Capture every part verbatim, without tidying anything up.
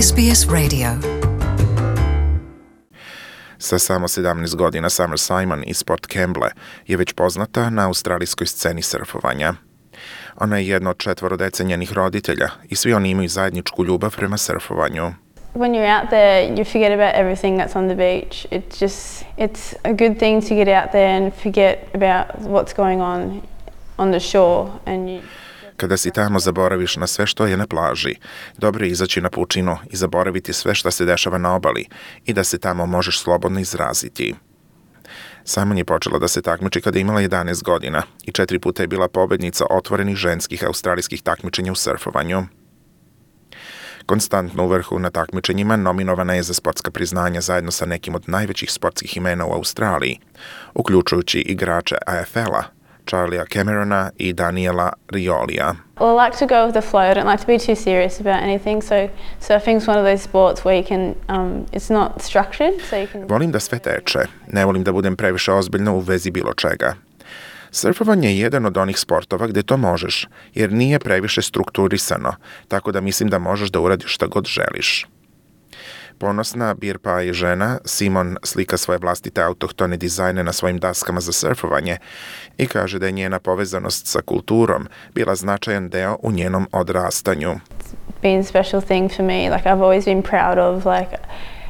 S B S Radio. Sa samo sedamnaest godina Summer Simon iz Port Kembla je već poznata na australijskoj sceni surfovanja. Ona je jedna od četvoro dece njenih roditelja i svi oni imaju zajedničku ljubav prema surfovanju. When you're out there, you forget about everything that's on the beach. It's just, it's a good thing to get out there and forget about what's going on on the shore. And you... Kada si tamo, zaboraviš na sve što je na plaži. Dobro je izaći na pučinu i zaboraviti sve što se dešava na obali i da se tamo možeš slobodno izraziti. Simon je počela da se takmiči kada je imala jedanaest godina i četiri puta je bila pobednica otvorenih ženskih australijskih takmičenja u surfovanju. Konstantno u vrhu na takmičenjima nominovana je za sportska priznanja zajedno sa nekim od najvećih sportskih imena u Australiji, uključujući igrače A F L-a, Charlie'a Camerona i Daniela Riolija. Well, I like to go with the flow. I don't like to be too serious about anything. So surfing's one of those sports where you can, um, it's not structured, so you can... Volim da sve teče. Ne volim da budem previše ozbiljna u vezi bilo čega. Surfovanje je jedan od onih sportova gde to možeš, jer nije previše strukturisano, tako da mislim da možeš da uradiš šta god želiš. Ponosna beer pie žena Simon slika svoje vlastite autohtone dizajne na svojim daskama za surfovanje i kaže da je njena povezanost sa kulturom bila značajan deo u njenom odrastanju. It's been a special thing for me. Like I've always been proud of, like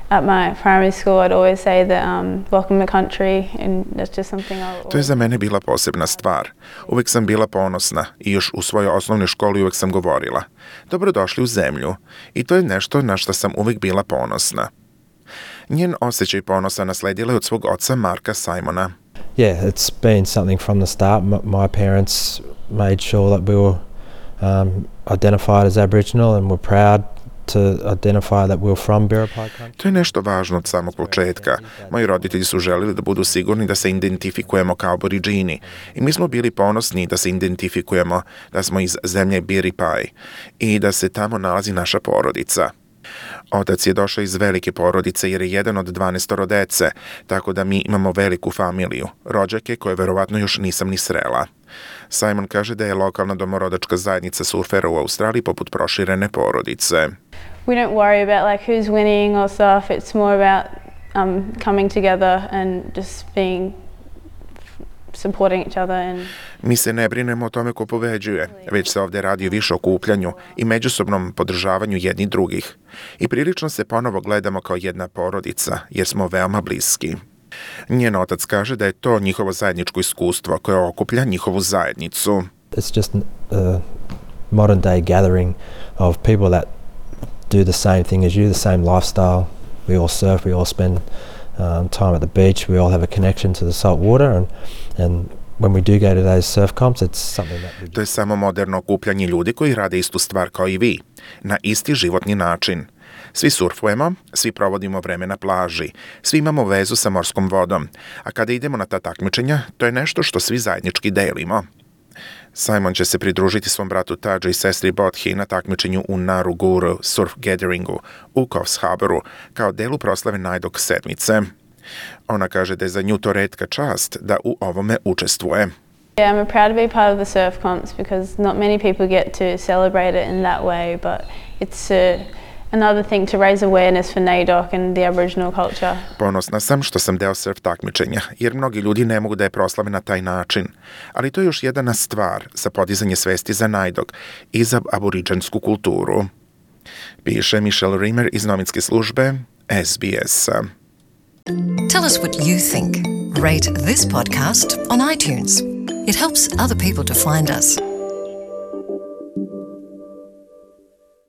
at my primary school I'd always say that um, welcome to country, and that's just something I'll... To je za mene bila posebna stvar. Uvek sam bila ponosna i još u svojoj osnovnoj školi uvek sam govorila: dobrodošli u zemlju. I to je nešto na što sam uvek bila ponosna. Njen osjećaj ponosa nasledila je od svog oca Marka Simona. Yeah, it's been something from the start. M- my parents made sure that we were um, identified as Aboriginal and were proud to identify that we're from Biripi country. To je nešto važno od samog početka. Moji roditelji su želeli da budu sigurni da se identifikujemo kao Aboriđini i mi smo bili ponosni da se identifikujemo da smo iz zemlje Biripi i da se tamo nalazi naša porodica. Otac je došao iz velike porodice jer je jedan od dvanaestoro dece, tako da mi imamo veliku familiju, rođake koje verovatno još nisam ni srela. Simon kaže da je lokalna domorodačka zajednica surfera u Australiji poput proširene porodice. We don't worry about like who's winning or stuff. It's more about um, coming together and just being supporting each other. And... Mi se ne brinemo o tome ko pobeđuje, već se ovdje radi više o okupljanju i međusobnom podržavanju jednih drugih. I prilično se ponovo gledamo kao jedna porodica, jer smo veoma bliski. Njen otac kaže da je to njihovo zajedničko iskustvo koje okuplja njihovu zajednicu. It's just a modern day gathering of people that do the same thing as you, the same lifestyle. We all surf, we all spend um, time at the beach, we all have a connection to the salt water, and and when we do go to those surf comps, it's something that we... To je samo moderno okupljanje ljudi koji rade istu stvar kao i vi, na isti životni način. Svi surfujemo, svi provodimo vreme na plaži, svi imamo vezu sa morskom vodom, a kada idemo na ta takmičenja, to je nešto što svi zajednički delimo. Simon će se pridružiti svom bratu Tadži i sestri Bodhi na takmičenju u Naruguru Surf Gatheringu u Coffs Harboru kao delu proslave Najdog sedmice. Ona kaže da je za nju to retka čast da u ovome učestvuje. Yeah, I'm proud to be part of the surf comps because not many people get to celebrate it in that way, but it's a another thing to raise awareness for N A I D O C and the Aboriginal culture. Ponosna sam što sam deo surf takmičenja, jer mnogi ljudi ne mogu da je proslave na taj način. Ali to je još jedna stvar za podizanje svesti za N A I D O C i za aboriđansku kulturu. Piše Michelle Rimmer iz novinske službe S B S-a. Tell us what you think. Rate this podcast on iTunes. It helps other people to find us.